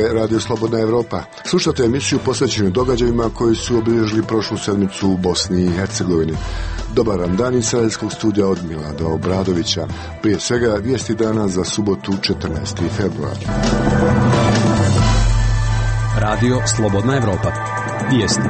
je Radio Slobodna Evropa. Slušate emisiju posvećenu događajima koji su obilježili prošlu sedmicu u Bosni i Hercegovini. Dobar vam dan iz Sarajevskog studija od Milada Obradovića. Prije svega vijesti dana za subotu 14. februar. Radio Slobodna Evropa. Vijesti.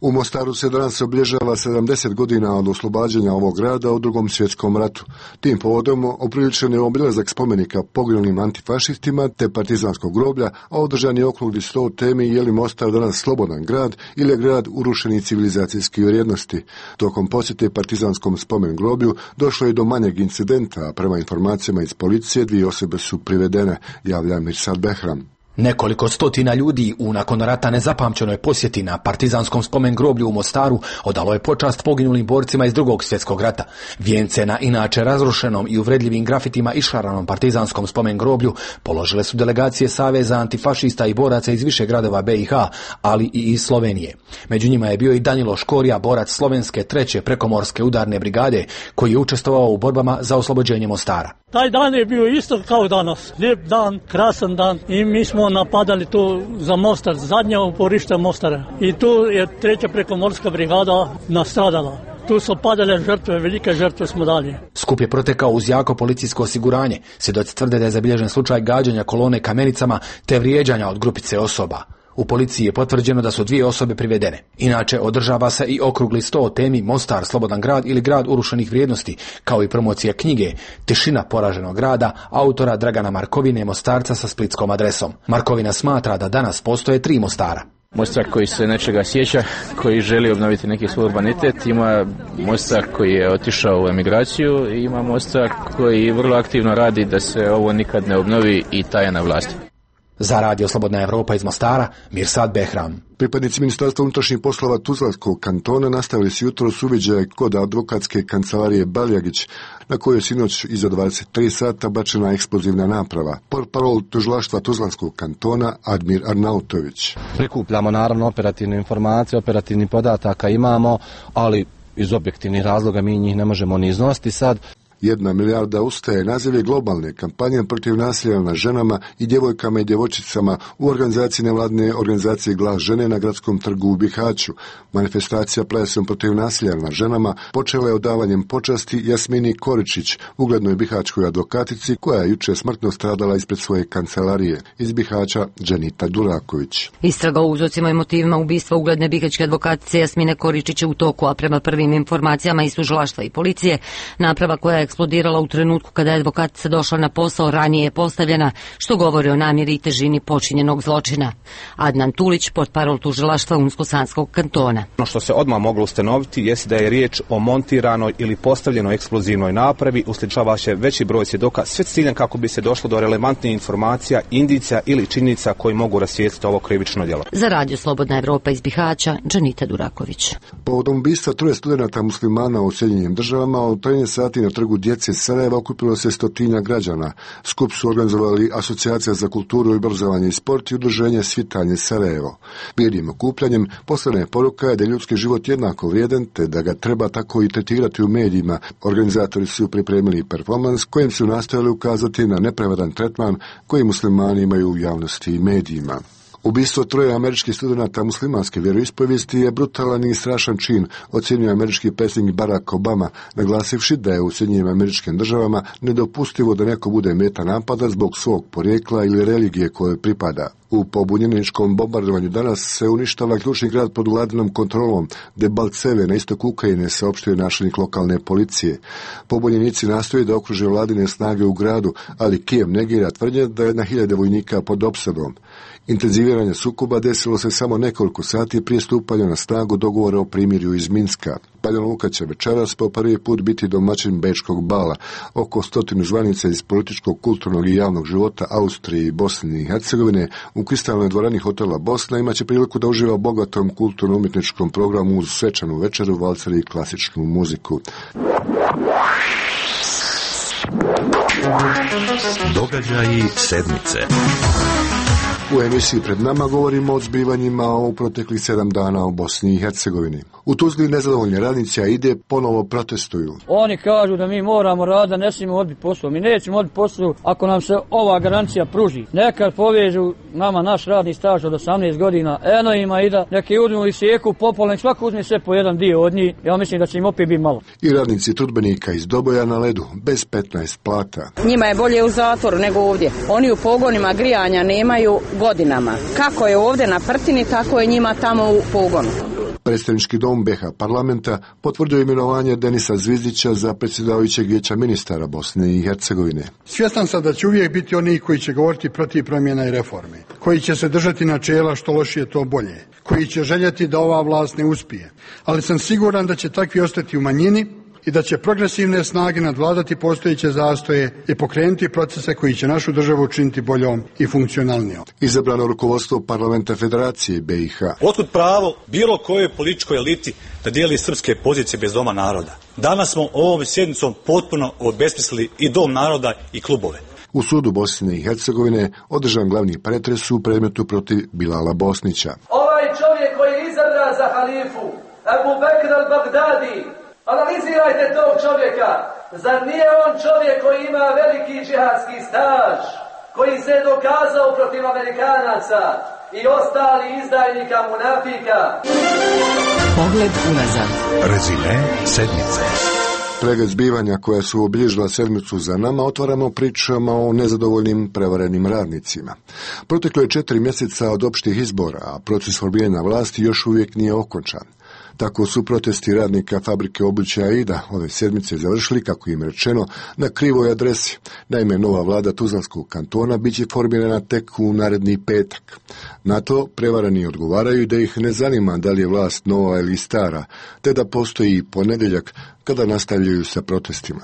U Mostaru se danas obilježava 70 godina od oslobađanja ovog grada u Drugom svjetskom ratu. Tim povodom opriličen je obilazak spomenika poginulim antifašistima te partizanskog groblja, a održan je okrugli sto temi je li Mostar danas slobodan grad ili je grad urušenih civilizacijskih vrijednosti. Tokom posjete partizanskom spomen groblju došlo je do manjeg incidenta, a prema informacijama iz policije 2 osobe su privedene, javlja Mirsad Behram. Nekoliko stotina ljudi u nakon rata nezapamćenoj posjeti na partizanskom spomen groblju u Mostaru odalo je počast poginulim borcima iz Drugog svjetskog rata. Vijence na inače razrušenom i uvredljivim grafitima išaranom partizanskom spomen groblju položile su delegacije Saveza antifašista i boraca iz više gradova BiH, ali i iz Slovenije. Među njima je bio i Danilo Škorija, borac slovenske 3. prekomorske udarne brigade, koji je učestvovao u borbama za oslobođenje Mostara. Taj dan je bio isto kao danas. Lijep dan, krasan dan i mi smo napadali tu za Mostar, zadnje uporište Mostara. I tu je 3. prekomorska brigada nastradala. Tu su padale žrtve, velike žrtve smo dali. Skup je protekao uz jako policijsko osiguranje. Svjedoci tvrde da je zabilježen slučaj gađanja kolone kamenicama te vrijeđanja od grupice osoba. U policiji je potvrđeno da su 2 osobe privedene. Inače, održava se i okrugli sto o temi Mostar, slobodan grad ili grad urušenih vrijednosti, kao i promocija knjige Tišina poraženog grada, autora Dragana Markovine, Mostarca sa splitskom adresom. Markovina smatra da danas postoje 3 Mostara. Mostar koji se nečega sjeća, koji želi obnoviti neki svoj urbanitet, ima Mostar koji je otišao u emigraciju i ima Mostar koji vrlo aktivno radi da se ovo nikad ne obnovi i taje na vlasti. Za Radio Slobodna Evropa iz Mostara, Mirsad Behram. Pripadnici Ministarstva unutrašnjih poslova Tuzlanskog kantona nastavili su jutros uviđaj kod advokatske kancelarije Baljagić, na kojoj je sinoć iza 23 sata bačena eksplozivna naprava. Portparol tužilaštva Tuzlanskog kantona Admir Arnautović. Prikupljamo naravno operativne informacije, operativnih podataka imamo, ali iz objektivnih razloga mi njih ne možemo ni iznositi sad. 1 milijarda ustaje naziv je globalne kampanje protiv nasilja nad ženama i djevojkama i djevojčicama u organizaciji nevladine organizacije Glas žene na gradskom trgu u Bihaću. Manifestacija plesom protiv nasilja nad ženama počela je odavanjem počasti Jasmini Koričić, uglednoj bihaćkoj advokatici koja je jučer smrtno stradala ispred svoje kancelarije. Iz Bihaća Dženita Duraković. Istraga o uzrocima i motivima ubistva ugledne bihaćke advokatice Jasmine Koričić je u toku, a prema prvim informacijama iz tužilaštva i policije, naprava koja je eksplodirala u trenutku kada je advokatica došla na posao ranije je postavljena, što govori o namjeri i težini počinjenog zločina. Adnan Tulić, portparol tužilaštva Unsko-Sanskog kantona. Ono što se odmah moglo ustanoviti jest da je riječ o montiranoj ili postavljenoj eksplozivnoj napravi, usličava se veći broj svjedoka, sve s ciljem kako bi se došlo do relevantnih informacija, indicija ili činjenica koji mogu rasvijetliti ovo krivično djelo. Za Radio Slobodna Evropa iz Bihaća, Dženita Duraković. Povodom ubistva 3 studenata muslimana u Sjedinjenim Državama, od 13 sati na trgu djece Sarajeva okupilo se 100 građana. Skup su organizovali Asocijacija za kulturu, obrazovanje i sport i udruženje Svitanje Sarajevo. Mirnim okupljanjem poslana je poruka da je ljudski život jednako vrijedan te da ga treba tako i tretirati u medijima. Organizatori su pripremili performans kojim su nastojali ukazati na nepravedan tretman koji muslimani imaju u javnosti i medijima. Ubistvo 3 američkih studenata muslimanske vjeroispovijesti je brutalan i strašan čin, ocjenjuje američki predsjednik Barack Obama, naglasivši da je u Sjedinjenim Američkim Državama nedopustivo da neko bude meta napada zbog svog porijekla ili religije kojoj pripada. U pobunjeničkom bombardovanju danas se uništava ključni grad pod vladinom kontrolom, Debaltseve na istoku Ukrajine, saopštio načelnik lokalne policije. Pobunjenici nastoje da okruže vladine snage u gradu, ali Kijev negira tvrdnje da je na 1000 vojnika pod opsadom. Intenziviranje sukoba desilo se samo nekoliko sati prije stupanja na snagu dogovora o primirju iz Minska. Banja Luka će večeras po prvi put biti domaćin Bečkog bala. Oko 100 zvanica iz političkog, kulturnog i javnog života Austrije i Bosne i Hercegovine u kristalnoj dvorani hotela Bosna imaće priliku da uživa bogatom kulturno-umjetničkom programu uz svečanu večeru, valcer i klasičnu muziku. Događaji sedmice. U emisiji Pred nama govorimo o zbivanjima u proteklih 7 dana u Bosni i Hercegovini. U Tuzli nezadovoljni radnici AIDE ponovo protestuju. Oni kažu da mi moramo raditi, ne smijemo odbiti posao. Mi nećemo odbiti posao ako nam se ova garancija pruži. Nekad povežu nama naš radni staž od 18 godina, eno ima i da neki uzmu i sjeku popolno, svako uzme sve po jedan dio od njih. Ja mislim da će im opet biti malo. I radnici trudbenika iz Doboja na ledu, bez 15 plata. Njima je bolje u zatvoru nego ovdje. Oni u pogonima grijanja nemaju godinama. Kako je ovdje na Prtini, tako je njima tamo u pogonu. Predstavnički dom BiH parlamenta potvrdio imenovanje Denisa Zvizdića za predsjedavajućeg vijeća ministara Bosne i Hercegovine. Svjestan sam da će uvijek biti oni koji će govoriti protiv promjena i reforme, koji će se držati načela što lošije to bolje, koji će željeti da ova vlast ne uspije. Ali sam siguran da će takvi ostati u manjini i da će progresivne snage nadvladati postojeće zastoje i pokrenuti procese koji će našu državu učiniti boljom i funkcionalnijom. Izabrano rukovodstvo parlamenta Federacije BiH. Otkud pravo bilo kojoj političkoj eliti da dijeli srpske pozicije bez doma naroda? Danas smo ovom sjednicom potpuno obesmislili i dom naroda i klubove. U sudu Bosne i Hercegovine održan glavni pretres u predmetu protiv Bilala Bosnića. Ovaj čovjek koji je izabran za halifu, Abu Bekr al-Baghdadi, analizirajte tog čovjeka. Zar nije on čovjek koji ima veliki džihadski staž, koji se je dokazao protiv Amerikanaca i ostali izdajnika munafika? Pogled unazad. Rezime sedmice. Pregled zbivanja koja su obilježila sedmicu za nama otvaramo pričama o nezadovoljnim prevarenim radnicima. Proteklo je 4 mjeseca od opštih izbora, a proces formiranja vlasti još uvijek nije okončan. Tako su protesti radnika fabrike obuće AIDA ove sedmice završili, kako im rečeno, na krivoj adresi. Naime, nova vlada Tuzlanskog kantona bit će formirana tek u naredni petak. Na to prevarani odgovaraju da ih ne zanima da li je vlast nova ili stara, te da postoji ponedjeljak kada nastavljaju sa protestima.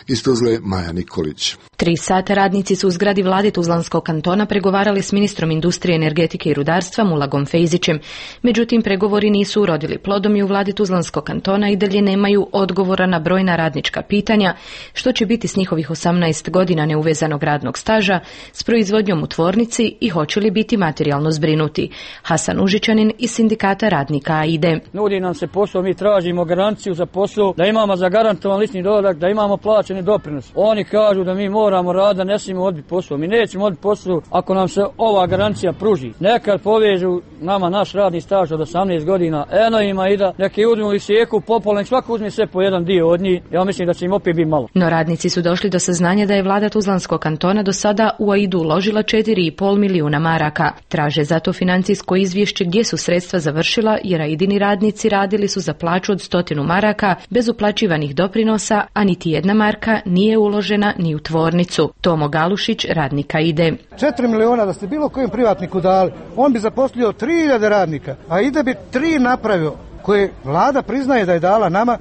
Iz Tuzle Maja Nikolić. 3 sata radnici su u zgradi vlade Tuzlanskog kantona pregovarali s ministrom industrije, energetike i rudarstva Mulagom Fejzićem. Međutim, pregovori nisu urodili plodom i u vladi Tuzlanskog kantona i dalje nemaju odgovora na brojna radnička pitanja, što će biti s njihovih 18 godina neuvezanog radnog staža, s proizvodnjom u tvornici i hoće li biti materijalno zbrinuti. Hasan Užičanin iz sindikata radnika AIDE. Nudi nam se posao, mi tražimo garanciju za posao, da imamo zagarantovan lični dohodak, da imamo plaćeni doprinos. Oni kažu da mi moramo raditi, ne smijemo odbiti posao. Mi nećemo odbiti posao ako nam se ova garancija pruži. Nekad povežu nama naš radni staž od 18 godina, eno ima i da neki uzmu i sjeku popolno, svako uzme sve po jedan dio od njih. Ja mislim da će im opet biti malo. No radnici su došli do saznanja da je vlada Tuzlanskog kantona do sada u AIDU uložila 4,5 milijuna maraka. Traže zato financijsko izvješće gdje su sredstva završila, jer AIDini radnici radili su za plaću od 100 maraka bez uplaćivanih doprinosa, a niti jedna marka nije uložena ni u tvornicu. Tomo Galušić, radnika AIDE. 4 miliona da ste bilo kojem privatniku dali, on bi zaposlio 3000 radnika, a AIDE bi 3 napravio, koje vlada priznaje da je dala nama.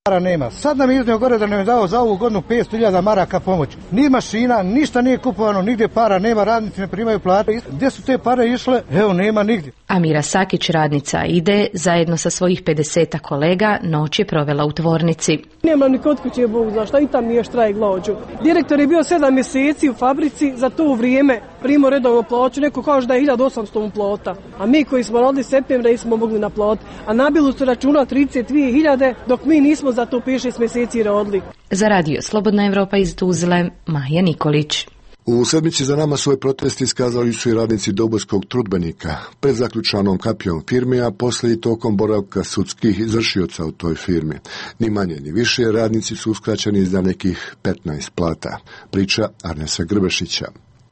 Para nema. Sad nam je iznio gore da nam je dao za ovu godinu 500.000 maraka pomoć. Ni mašina, ništa nije kupovano, nigdje para nema, radnici ne primaju plate. Gdje su te pare išle? Evo, nema nigdje. Amira Sakić, radnica AIDE, zajedno sa svojih 50 kolega, noć je provela u tvornici. Nema ni kod kuće, Bog zna šta, i tam nije štrajk glađu. Direktor je bio 7 mjeseci u fabrici, za to vrijeme primao redovno plaću, neko kaže da je 1800 plata. A mi koji smo rodili septembra nismo mogli naplatiti. A nabilu su računa 32.000, dok mi nismo za to 5-6 mjeseci rodili. Za radio Slobodna Evropa iz Tuzle, Maja Nikolić. U sedmici za nama svoj protest iskazali su i radnici Dobojskog trudbenika pred zaključanom kapijom firme, a poslije i tokom boravka sudskih izvršioca u toj firmi. Ni manje ni više radnici su uskraćeni za nekih 15 plata. Priča Arnesa Grbešića.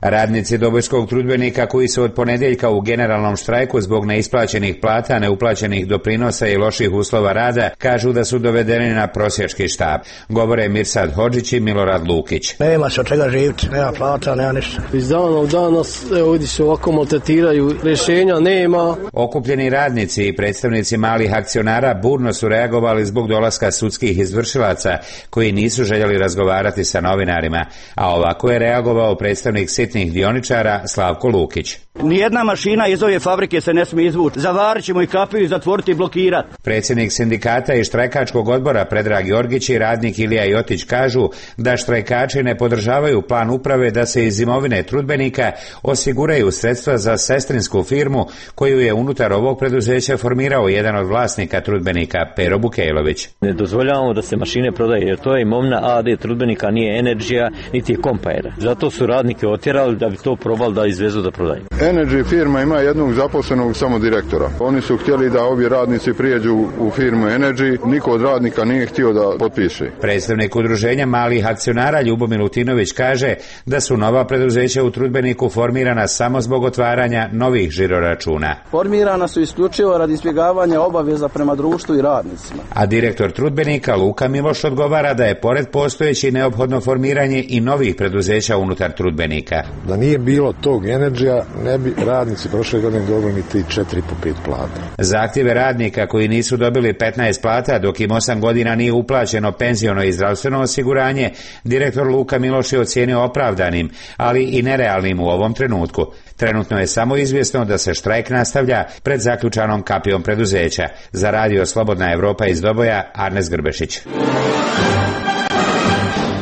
Radnici Dobojskog trudbenika koji su od ponedjeljka u generalnom štrajku zbog neisplaćenih plata, neuplaćenih doprinosa i loših uslova rada kažu da su dovedeni na prosjački štap. Govore Mirsad Hodžić i Milorad Lukić. Nema se od čega živjeti, nema plata, nema ništa. Iz dana u dan nas ovdje se ovako maltretiraju, rješenja nema. Okupljeni radnici i predstavnici malih akcionara burno su reagovali zbog dolaska sudskih izvršilaca koji nisu željeli razgovarati sa novinarima, a ovako je reagovao predstavnik sitnih dioničara Slavko Lukić. Nijedna mašina iz ove fabrike se ne smije izvući. Zavarit ćemo i kapiju, zatvoriti i blokirati. Predsjednik sindikata i štrajkačkog odbora Predrag Jorgić i radnik Ilija Jotić kažu da štrajkači ne podržavaju plan uprave da se iz imovine trudbenika osiguraju sredstva za sestrinsku firmu koju je unutar ovog preduzeća formirao jedan od vlasnika trudbenika, Pero Bukejlović. Ne dozvoljavamo da se mašine prodaje jer to je imovina AD trudbenika, nije Energija niti Compaira. Zato su radnike otjerali da bi to probali da izvezu da prodaju. Energy firma ima jednog zaposlenog samo direktora. Oni su htjeli da ovi radnici prijeđu u firmu Energy, niko od radnika nije htio da potpiše. Predstavnik udruženja malih akcionara Ljubo Milutinović kaže da su nova preduzeća u trudbeniku formirana samo zbog otvaranja novih žiroračuna. Formirana su isključivo radi izbjegavanja obaveza prema društvu i radnicima. A direktor trudbenika Luka Miloš odgovara da je pored postojeći neophodno formiranje i novih preduzeća unutar trudbenika. Da nije bilo tog Energija, ne bi radnici prošle godine dobili ni 4 po 5 plata. Zahtjeve radnika koji nisu dobili 15 plata dok im 8 godina nije uplaćeno penziono i zdravstveno osiguranje, direktor Luka Miloš je ocijenio opravdanim, ali i nerealnim u ovom trenutku. Trenutno je samo izvjesno da se štrajk nastavlja pred zaključanom kapijom preduzeća. Za radio Slobodna Evropa iz Doboja, Arnes Grbešić.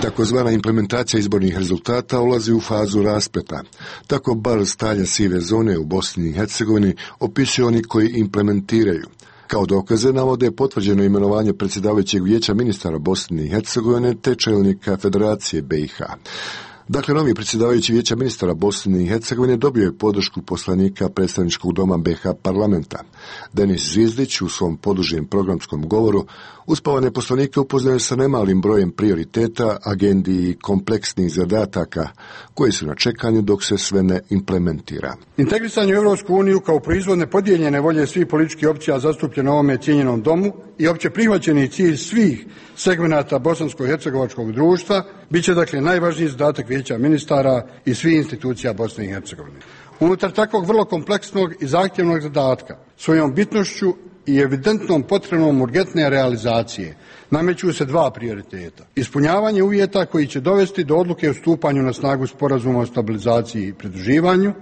Takozvana implementacija izbornih rezultata ulazi u fazu raspleta. Tako bar stanja sive zone u Bosni i Hercegovini opisuju oni koji implementiraju. Kao dokaze navode potvrđeno imenovanje predsjedavajućeg vijeća ministara Bosne i Hercegovine te čelnika Federacije BiH. Dakle, novi predsjedavajući vijeća ministara Bosne i Hercegovine dobio je podršku poslanika predstavničkog doma BiH parlamenta. Denis Zvizdić u svom podužijem programskom govoru uspavane poslanike upoznaju sa nemalim brojem prioriteta, agendi i kompleksnih zadataka koji su na čekanju dok se sve ne implementira. Integrisanje u Europsku uniju kao proizvod nepodijeljene volje svih političkih opcija zastupljeno u ovome cijenjenom domu i opće prihvaćeni cilj svih segmenata bosansko-hercegovačkog društva bit će dakle najvažniji zadatak vijeća ministara i svih institucija Bosne i Hercegovine. Unutar takvog vrlo kompleksnog i zahtjevnog zadatka svojom bitnošću i evidentnom potrebom urgentne realizacije nameću se dva prioriteta. Ispunjavanje uvjeta koji će dovesti do odluke o stupanju na snagu sporazuma o stabilizaciji i pridruživanju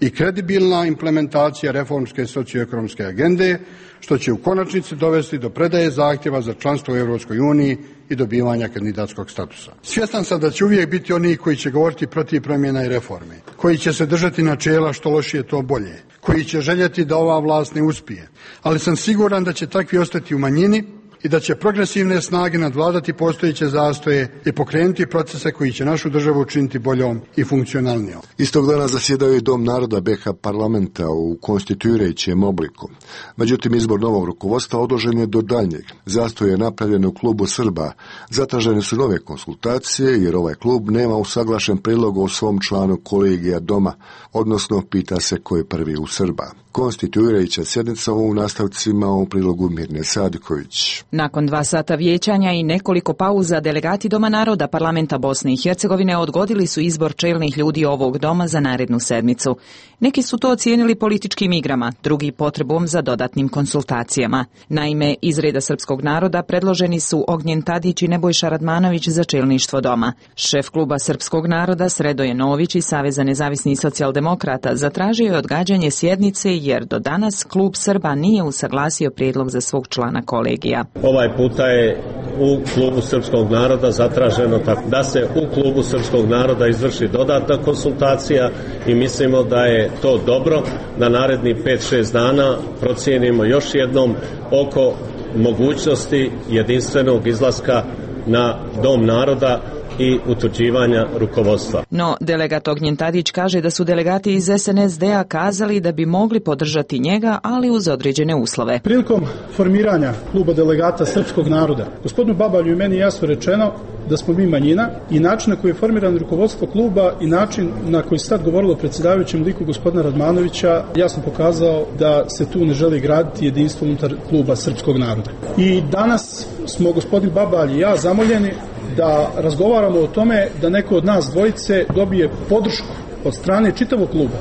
i kredibilna implementacija reformske socioekonomske agende, što će u konačnici dovesti do predaje zahtjeva za članstvo u Europskoj uniji i dobivanja kandidatskog statusa. Svjestan sam da će uvijek biti oni koji će govoriti protiv promjena i reforme, koji će se držati načela što lošije to bolje, koji će željeti da ova vlast ne uspije, ali sam siguran da će takvi ostati u manjini i da će progresivne snage nadvladati postojeće zastoje i pokrenuti procese koji će našu državu učiniti boljom i funkcionalnijom. Istog dana zasjedao je Dom naroda BiH parlamenta u konstituirajućem obliku. Međutim, izbor novog rukovodstva odložen je do daljnjeg. Zastoj je napravljen u klubu Srba. Zatražene su nove konsultacije jer ovaj klub nema usaglašen prijedlog o svom članu kolegija doma, odnosno pita se ko je prvi u Srba. Konstituirajuća sjednica u nastavcima u prilogu Mirne Sadiković. Nakon 2 sata vijećanja i nekoliko pauza, delegati Doma naroda parlamenta Bosne i Hercegovine odgodili su izbor čelnih ljudi ovog doma za narednu sedmicu. Neki su to ocijenili političkim igrama, drugi potrebom za dodatnim konsultacijama. Naime, iz reda srpskog naroda predloženi su Ognjen Tadić i Nebojša Radmanović za čelništvo doma. Šef kluba srpskog naroda Sredoje Nović iz Saveza nezavisnih socijaldemokrata zatražio je odgađanje sjednice jer do danas klub Srba nije usaglasio prijedlog za svog člana kolegija. Ovaj puta je u klubu srpskog naroda zatraženo da se u klubu srpskog naroda izvrši dodatna konsultacija i mislimo da je to dobro, da naredni 5-6 dana procijenimo još jednom oko mogućnosti jedinstvenog izlaska na Dom naroda i utvrđivanja rukovodstva. No, delegat Ognjen Tadić kaže da su delegati iz SNSD-a kazali da bi mogli podržati njega, ali uz određene uslove. Prilikom formiranja kluba delegata srpskog naroda, gospodinu Babalju i meni jasno rečeno da smo mi manjina i način na koji je formirano rukovodstvo kluba i način na koji se sad govorilo o predsjedavajućem liku gospodina Radmanovića jasno pokazao da se tu ne želi graditi jedinstvo unutar kluba srpskog naroda. I danas smo gospodin Babalj i ja zamoljeni da razgovaramo o tome da neko od nas dvojice dobije podršku od strane čitavog kluba.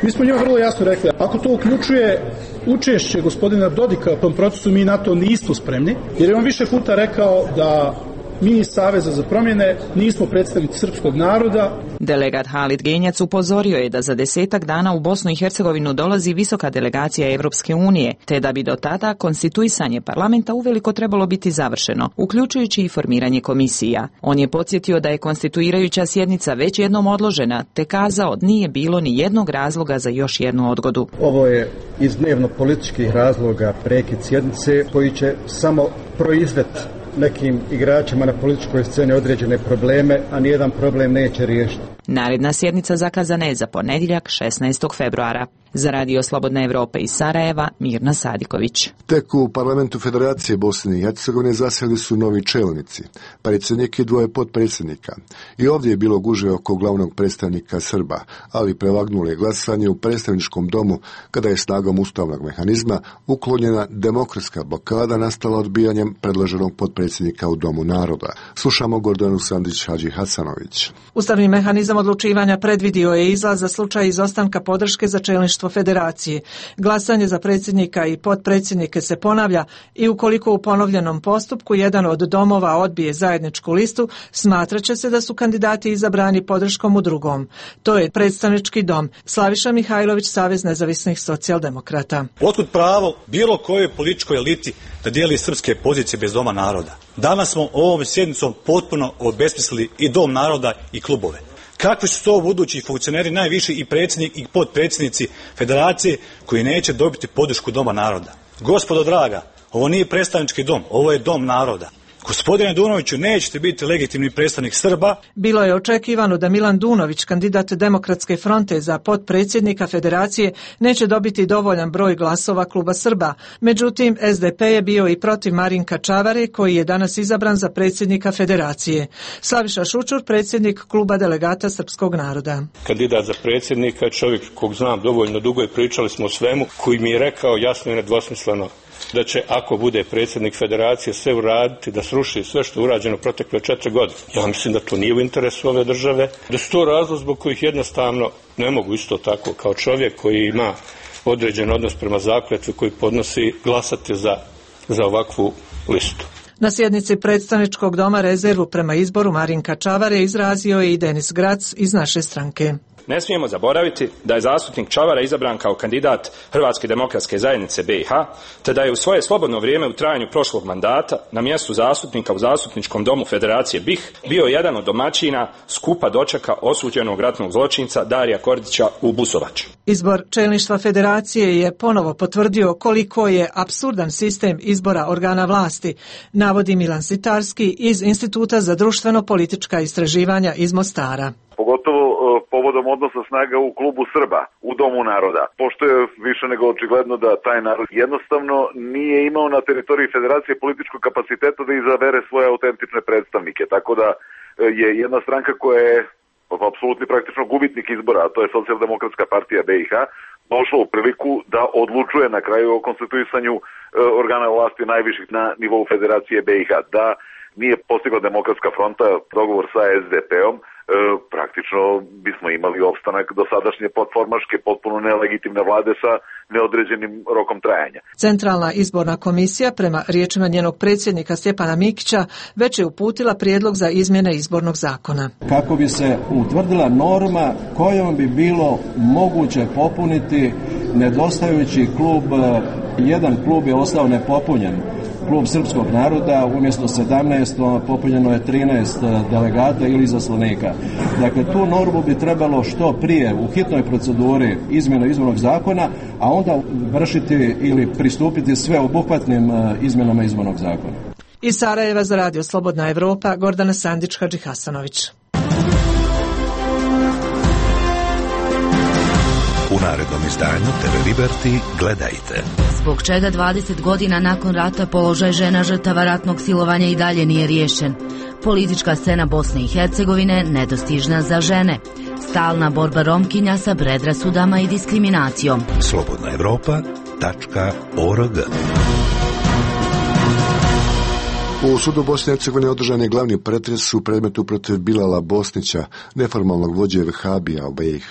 Mi smo njima vrlo jasno rekli, ako to uključuje učešće gospodina Dodika u tom procesu, mi na to nismo spremni, jer je on više puta rekao da Mi iz Saveza za promjene nismo predstavnici srpskog naroda. Delegat Halid Genjac upozorio je da za 10 dana u Bosnu i Hercegovinu dolazi visoka delegacija Evropske unije, te da bi do tada konstituisanje parlamenta uveliko trebalo biti završeno, uključujući i formiranje komisija. On je podsjetio da je konstituirajuća sjednica već jednom odložena, te kazao nije bilo ni jednog razloga za još jednu odgodu. Ovo je iz dnevno političkih razloga prekid sjednice koji će samo proizvesti nekim igračima na političkoj sceni određene probleme, a nijedan problem neće riješiti. Naredna sjednica zakazana je za ponedjeljak 16. februara. Za Radio Slobodna Evropa iz Sarajeva, Mirna Sadiković. Tek u parlamentu Federacije Bosne i Hercegovine zasjeli su novi čelnici, predsjednik i 2 potpredsjednika. I ovdje je bilo gužve oko glavnog predstavnika Srba, ali prevagnulo je glasanje u predstavničkom domu kada je snagom ustavnog mehanizma uklonjena demokratska blokada nastala odbijanjem predloženog potpredsjednika u Domu naroda. Slušamo Gordanu Sandić-Hadži Hasanović. Ustavni mehanizam odlučivanja predvidio je izlaz za slučaj izostanka podrške za čelništvo Federacije. Glasanje za predsjednika i potpredsjednike se ponavlja i ukoliko u ponovljenom postupku jedan od domova odbije zajedničku listu, smatraće se da su kandidati izabrani podrškom u drugom. To je predstavnički dom. Slaviša Mihajlović, Savez nezavisnih socijaldemokrata. Otkud pravo bilo kojoj političkoj eliti da dijeli srpske pozicije bez Doma naroda? Danas smo ovom sjednicom potpuno obesmislili i Dom naroda i klubove. Kakvi su to budući funkcioneri, najviši i predsjednik i potpredsjednici Federacije koji neće dobiti podršku Doma naroda? Gospodo draga, ovo nije predstavnički dom, ovo je Dom naroda. Gospodine Dunoviću, nećete biti legitimni predstavnik Srba. Bilo je očekivano da Milan Dunović, kandidat Demokratske fronte za potpredsjednika Federacije, neće dobiti dovoljan broj glasova kluba Srba. Međutim, SDP je bio i protiv Marinka Čavare, koji je danas izabran za predsjednika Federacije. Slaviša Šučur, predsjednik kluba delegata Srpskog naroda. Kandidat za predsjednika, čovjek kog znam dovoljno dugo i pričali smo o svemu, koji mi je rekao jasno i nedvosmisleno da će, ako bude predsjednik Federacije, sve uraditi da sruši sve što je urađeno protekle 4 godine. Ja mislim da to nije u interesu ove države, da su to razlog zbog kojih jednostavno ne mogu isto tako kao čovjek koji ima određen odnos prema zakletvi koji podnosi glasati za ovakvu listu. Na sjednici predstavničkog doma rezervu prema izboru Marinka Čavare izrazio je i Denis Grac iz naše stranke. Ne smijemo zaboraviti da je zastupnik Čavara izabran kao kandidat Hrvatske demokratske zajednice BiH, te da je u svoje slobodno vrijeme u trajanju prošlog mandata na mjestu zastupnika u Zastupničkom domu Federacije BiH bio jedan od domaćina skupa dočeka osuđenog ratnog zločinca Darija Kordića u Busovači. Izbor čelništva Federacije je ponovo potvrdio koliko je apsurdan sistem izbora organa vlasti, navodi Milan Sitarski iz Instituta za društveno-politička istraživanja iz Mostara. Pogotovo povodom odnosa snaga u klubu Srba, u Domu naroda, pošto je više nego očigledno da taj narod jednostavno nije imao na teritoriji Federacije političkog kapaciteta da izabere svoje autentične predstavnike, tako da je jedna stranka koja je apsolutni praktično gubitnik izbora, a to je Socijaldemokratska partija BiH, došla u priliku da odlučuje na kraju o konstituisanju organa vlasti najviših na nivou Federacije BiH, da nije postigla Demokratska fronta dogovor sa SDP-om, praktično bismo imali opstanak dosadašnje potformaške, potpuno nelegitimne vlade sa neodređenim rokom trajanja. Centralna izborna komisija, prema riječima njenog predsjednika Stjepana Mikića, već je uputila prijedlog za izmjene izbornog zakona. Kako bi se utvrdila norma kojom bi bilo moguće popuniti nedostajući klub, jedan klub je ostao nepopunjen. Klub Srpskog naroda umjesto 17 popunjeno je 13 delegata ili izaslanika. Dakle, tu normu bi trebalo što prije u hitnoj proceduri izmjene izbornog zakona, a onda vršiti ili pristupiti sveobuhvatnim izmjenama izbornog zakona. Iz Sarajeva za Radio Slobodna Evropa, Gordana Sandić-Hadži Hasanović. U narednom izdanju TV Liberty gledajte. Zbog čega 20 godina nakon rata položaj žena žrtava ratnog silovanja i dalje nije riješen? Politička scena Bosne i Hercegovine nedostižna za žene. Stalna borba Romkinja sa predrasudama i diskriminacijom. slobodnaevropa.org. U sudu Bosne i Hercegovine održan je glavni pretres u predmetu protiv Bilala Bosnića, neformalnog vođe Vehabija u BiH.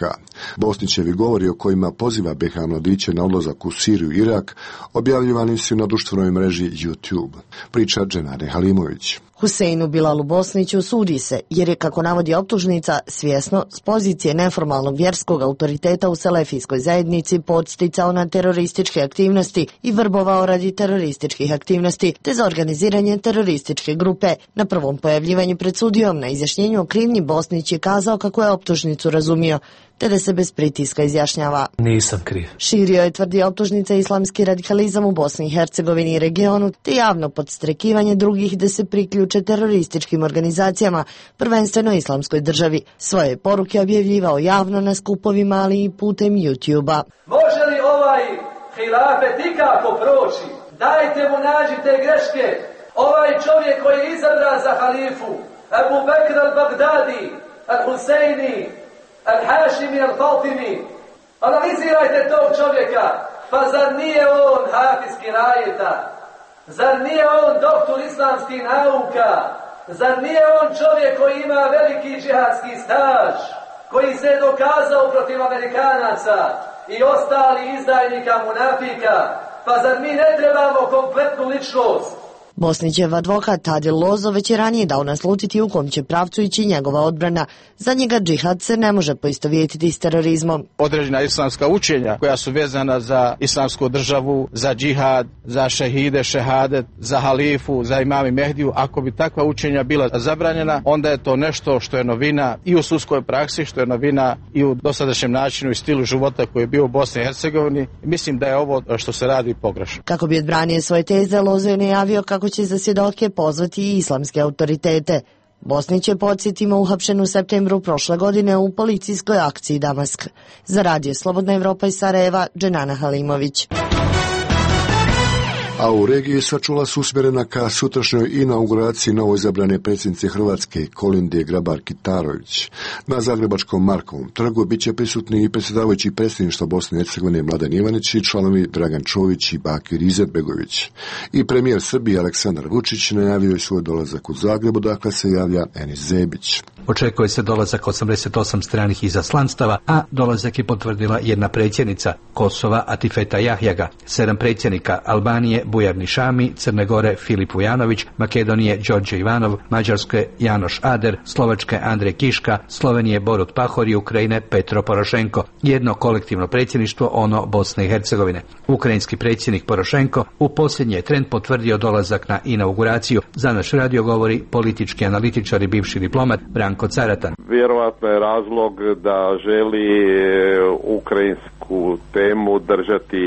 Bosnićevi govori o kojima poziva BiH mladiće na odlazak u Siriju i Irak objavljivani su na društvenoj mreži YouTube. Priča Dženare Halimović. Huseinu Bilalu Bosniću sudi se jer je, kako navodi optužnica, svjesno s pozicije neformalnog vjerskog autoriteta u selefijskoj zajednici podsticao na terorističke aktivnosti i vrbovao radi terorističkih aktivnosti te za organiziranje terorističke grupe. Na prvom pojavljivanju pred sudijom na izjašnjenju o krivnji Bosnić je kazao kako je optužnicu razumio, te da se bez pritiska izjašnjava. Nisam kriv. Širio je, tvrdi optužnica, islamski radikalizam u Bosni i Hercegovini i regionu, te javno podstrekivanje drugih da se priključe terorističkim organizacijama, prvenstveno islamskoj državi. Svoje poruke objavljivao javno na skupovima, ali i putem YouTube-a. Može li ovaj hilafet ikako proći? Dajte mu, nađite greške. Ovaj čovjek koji je izabran za halifu, Abu Bakr al-Baghdadi, al-Huseini, al-Hašimi, al-Fatimi. Analizirajte tog čovjeka. Pa zar nije on hafiz kirajeta? Zar nije on doktor islamskih nauka? Zar nije on čovjek koji ima veliki džihadski staž? Koji se je dokazao protiv Amerikanaca i ostali izdajnika munafika? Pa zar mi ne trebamo kompletnu ličnost? Bosnićev advokat Adil Lozo već je ranije dao naslutiti u kom će pravcu ići njegova odbrana. Za njega džihad se ne može poistovjetiti s terorizmom. Određena islamska učenja koja su vezana za islamsku državu, za džihad, za šehide, šehadet, za halifu, za imam i Mehdiju, ako bi takva učenja bila zabranjena, onda je to nešto što je novina i u sudskoj praksi, što je novina i u dosadašnjem načinu i stilu života koji je bio u Bosni i Hercegovini. Mislim da je ovo što se radi pogrešno. Kako bi odbranio svoje teze, Lozo je najavio kako će za svjedoke pozvati i islamske autoritete. Bosnić je, podsjetimo, uhapšen u septembru prošle godine u policijskoj akciji Damask. Za Radio Slobodna Evropa iz Sarajeva, Dženana Halimović. A u regiji sva čula su usmjerena ka sutrašnjoj inauguraciji novoizabrane predsjednice Hrvatske Kolinde Grabar-Kitarović. Na Zagrebačkom Markovom trgu bit će prisutni i predsjedavajući predsjedništva Bosne i Hercegovine Mladen Ivanić i članovi Dragan Čović i Bakir Izetbegović. I premijer Srbije Aleksandar Vučić najavio je svoj dolazak u Zagrebu, dakle se javlja Enis Zebić. Očekuje se dolazak 88 stranih izaslanstava, a dolazak je potvrdila jedna predsjednica Kosova Atifeta Jahjaga, 7 predsjednika Albanije Bujar Nišami, Crne Gore Filip Vujanović, Makedonije Đorđe Ivanov, Mađarske Janoš Ader, Slovačke Andrej Kiška, Slovenije Borut Pahor i Ukrajine Petro Porošenko. Jedno kolektivno predsjedništvo, ono Bosne i Hercegovine. Ukrajinski predsjednik Porošenko u posljednji je tren potvrdio dolazak na inauguraciju. Za naš radio govori politički analitičar i bivši diplomat Branko Caratan. Vjerovatno je razlog da želi ukrajinsku temu držati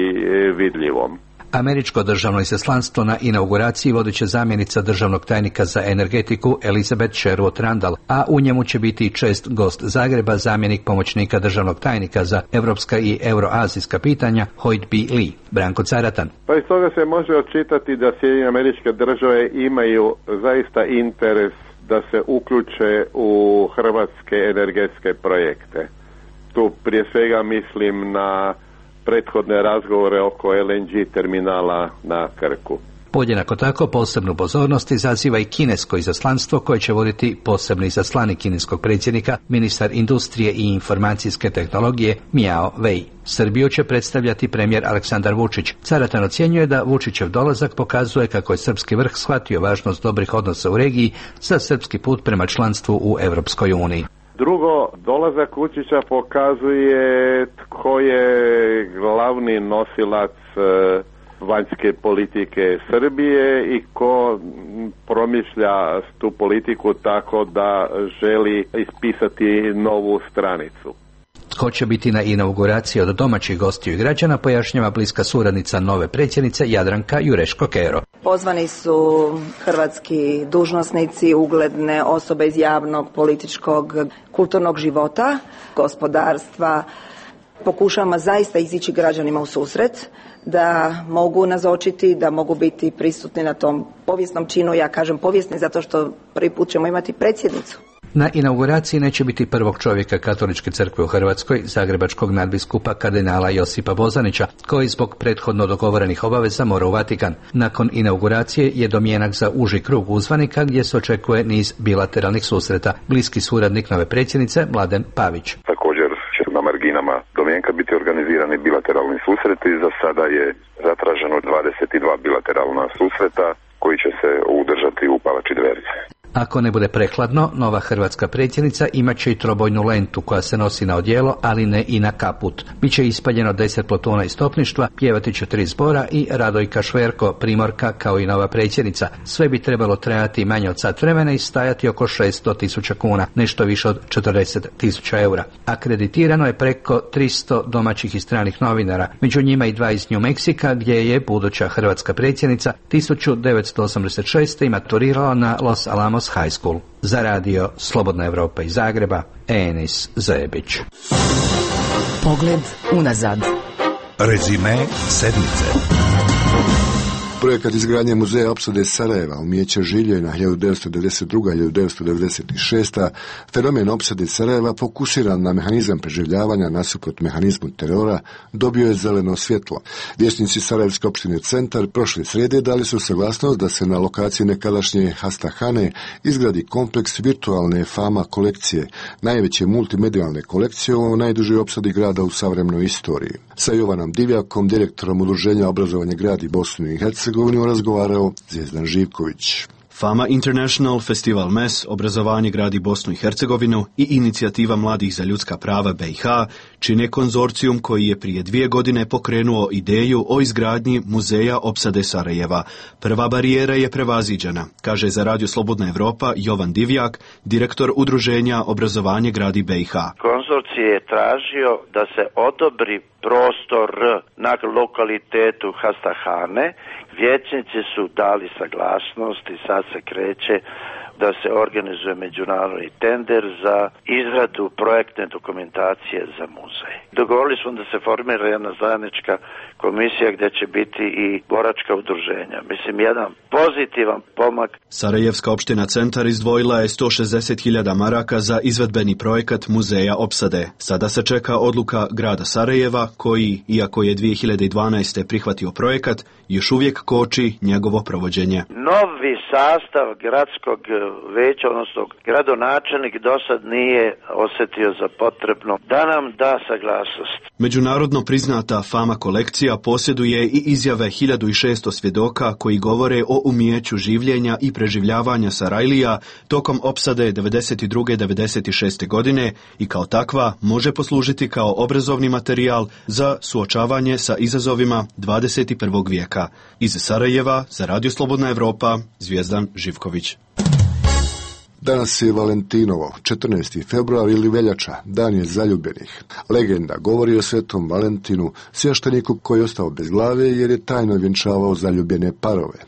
vidljivom. Američko državno izaslanstvo na inauguraciji vodit će zamjenica državnog tajnika za energetiku Elizabeth Sherwood Randall, a u njemu će biti i čest gost Zagreba, zamjenik pomoćnika državnog tajnika za evropska i euroazijska pitanja Hoyt B. Lee. Branko Caratan. Pa iz toga se može očitati da Sjedinjene Američke Države imaju zaista interes da se uključe u hrvatske energetske projekte. Tu prije svega mislim na prethodne razgovore oko LNG terminala na Krku. Podjednako tako posebnu pozornost izaziva i kinesko izaslanstvo koje će voditi posebni izaslanik kineskog predsjednika, ministar industrije i informacijske tehnologije Miao Wei. Srbiju će predstavljati premijer Aleksandar Vučić. Caratan ocjenjuje da Vučićev dolazak pokazuje kako je srpski vrh shvatio važnost dobrih odnosa u regiji za srpski put prema članstvu u Europskoj uniji. Drugo, dolazak Vučića pokazuje tko je glavni nosilac vanjske politike Srbije i ko promišlja tu politiku tako da želi ispisati novu stranicu. Tko će biti na inauguraciji od domaćih gostiju i građana, pojašnjava bliska suradnica nove predsjednice Jadranka Jureško-Kero. Pozvani su hrvatski dužnosnici, ugledne osobe iz javnog, političkog, kulturnog života, gospodarstva. Pokušavamo zaista izići građanima u susret, da mogu nazočiti, da mogu biti prisutni na tom povijesnom činu. Ja kažem povijesni zato što prvi put ćemo imati predsjednicu. Na inauguraciji neće biti prvog čovjeka Katoličke crkve u Hrvatskoj, zagrebačkog nadbiskupa kardinala Josipa Bozanića, koji zbog prethodno dogovorenih obaveza mora u Vatikan. Nakon inauguracije je domjenak za uži krug uzvanika gdje se očekuje niz bilateralnih susreta. Bliski suradnik nove predsjednice Mladen Pavić. Također će na marginama domjenka biti organizirani bilateralni susreti. Za sada je zatraženo 22 bilateralna susreta koji će se udržati u palači Dveri. Ako ne bude prekladno, nova hrvatska predsjednica imat će i trobojnu lentu koja se nosi na odijelo, ali ne i na kaput. Biće ispaljeno 10 plotuna iz topništva, pjevati će 3 zbora i Radojka Šverko, primorka, kao i nova predsjednica. Sve bi trebalo trajati manje od sat vremena i stajati oko 600.000 kuna, nešto više od 40.000 eura. Akreditirano je preko 300 domaćih i stranih novinara, među njima i 2 iz New Meksika, gdje je buduća hrvatska predsjednica 1986. maturirala na Los Alamos High School. Za radio Slobodna Evropa iz Zagreba, Enis Zajebić. Pogled unazad. Rezime sedmice. Projekat izgradnje muzeja opsade Sarajeva, umijeća življenja 1902-1996, fenomen opsade Sarajeva fokusiran na mehanizam preživljavanja nasuprot mehanizmu terora, dobio je zeleno svjetlo. Vijećnici Sarajevske opštine Centar prošle srijede dali su saglasnost da se na lokaciji nekadašnje Hastahane izgradi kompleks virtualne Fama kolekcije, najveće multimedijalne kolekcije o najdužoj opsadi grada u savremenoj istoriji. Sa Jovanom Divjakom, direktorom Udruženja Obrazovanje gradi Bosnu i Hercegovinu, razgovarao Zvijezdan Živković. Fama International, Festival MES, Obrazovanje gradi Bosnu i Hercegovinu i Inicijativa mladih za ljudska prava BiH čine konzorcijum koji je prije 2 godine pokrenuo ideju o izgradnji muzeja opsade Sarajeva. Prva barijera je prevaziđena, kaže za Radio Slobodna Evropa Jovan Divjak, direktor Udruženja Obrazovanje gradi BiH. Konzorcij je tražio da se odobri prostor na lokalitetu Hastahane. Vijećnici su dali saglasnost i sad se kreće da se organizuje međunarodni tender za izradu projektne dokumentacije za muzej. Dogovorili smo da se formira jedna zajednička komisija gdje će biti i boračka udruženja. Mislim, jedan pozitivan pomak. Sarajevska opština Centar izdvojila je 160.000 maraka za izvedbeni projekat muzeja opsade. Sada se čeka odluka grada Sarajeva koji, iako je 2012. prihvatio projekat, još uvijek koči njegovo provođenje. Novi sastav gradskog veća, odnosno gradonačelnik dosad nije osjetio za potrebno da nam da saglasnost. Međunarodno priznata Fama kolekcija posjeduje i izjave 1600 svjedoka koji govore o umijeću življenja i preživljavanja Sarajlija tokom opsade 92-96. godine i kao takva može poslužiti kao obrazovni materijal za suočavanje sa izazovima 21. vijeka. Iz Sarajeva za Radio Slobodna Evropa, Zvijezdan Živković. Danas je Valentinovo, 14. februar ili veljača, dan je zaljubljenih. Legenda govori o svetom Valentinu, svješteniku koji je ostao bez glave jer je tajno vjenčavao zaljubljene parove.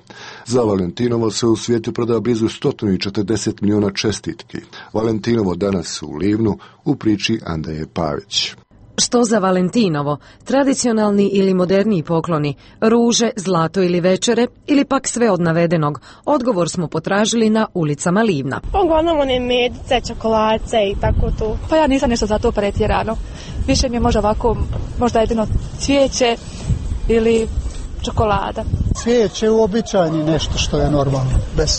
Za Valentinovo se u svijetu proda blizu 140 milijuna čestitki. Valentinovo danas u Livnu u priči Andreje Pavić. Što za Valentinovo? Tradicionalni ili moderniji pokloni? Ruže, zlato ili večere? Ili pak sve od navedenog? Odgovor smo potražili na ulicama Livna. Uglavnom one medice, čokoladice i tako to. Pa ja nisam nešto za to pretjerano. Više mi je možda ovako, možda jedino cvijeće ili čokolada. Cvijeće je uobičajeni nešto što je normalno.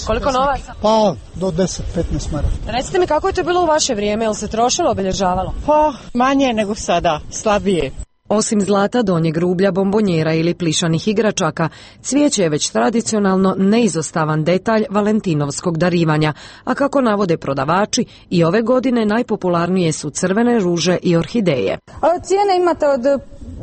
Koliko novaca? Pa do 10-15 maraka. Recite mi kako je to bilo u vaše vrijeme, jel se trošilo, obilježavalo? Pa manje nego sada, slabije. Osim zlata, donjeg rublja, bombonjera ili plišanih igračaka, cvijeće je već tradicionalno neizostavan detalj valentinovskog darivanja, a kako navode prodavači, i ove godine najpopularnije su crvene ruže i orhideje. Cijene imate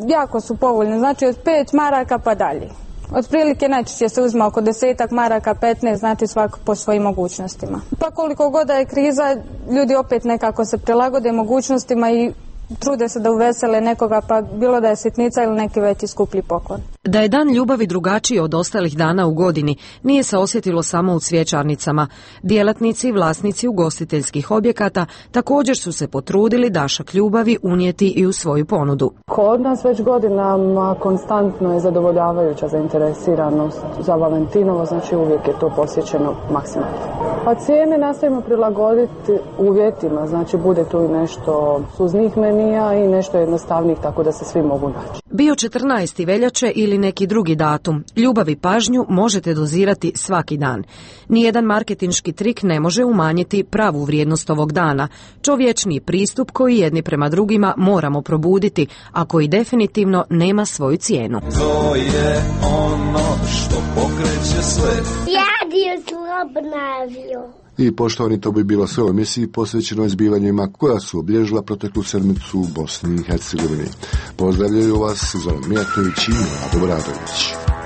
jako su povoljne, znači od 5 maraka pa dalje. Otprilike najčešće se uzma oko 10 maraka, 15, znači svako po svojim mogućnostima. Pa koliko god da je kriza, ljudi opet nekako se prilagode mogućnostima i trude se da uvesele nekoga, pa bilo da je sitnica ili neki veći skuplji poklon. Da je dan ljubavi drugačiji od ostalih dana u godini, nije se osjetilo samo u cvjećarnicama. Djelatnici i vlasnici ugostiteljskih objekata također su se potrudili dašak ljubavi unijeti i u svoju ponudu. Kod nas već godinama konstantno je zadovoljavajuća zainteresiranost za Valentinovo, znači uvijek je to posjećeno maksimalno. Pa cijene nastavimo prilagoditi uvjetima, znači bude tu i nešto suznih menija i nešto jednostavnijih, tako da se svi mogu naći. Bio 14. veljače ili neki drugi datum, ljubav i pažnju možete dozirati svaki dan. Nijedan marketinški trik ne može umanjiti pravu vrijednost ovog dana, čovječni pristup koji jedni prema drugima moramo probuditi, a koji definitivno nema svoju cijenu. To je ono što pokreće sve. Radio Slobodna. I poštovani, to bi bilo sve u emisiji posvećenoj zbivanjima koja su obilježila proteklu sedmicu u Bosni i Hercegovini. Pozdravljaju vas Zoran Mijatović i Rado Bradović.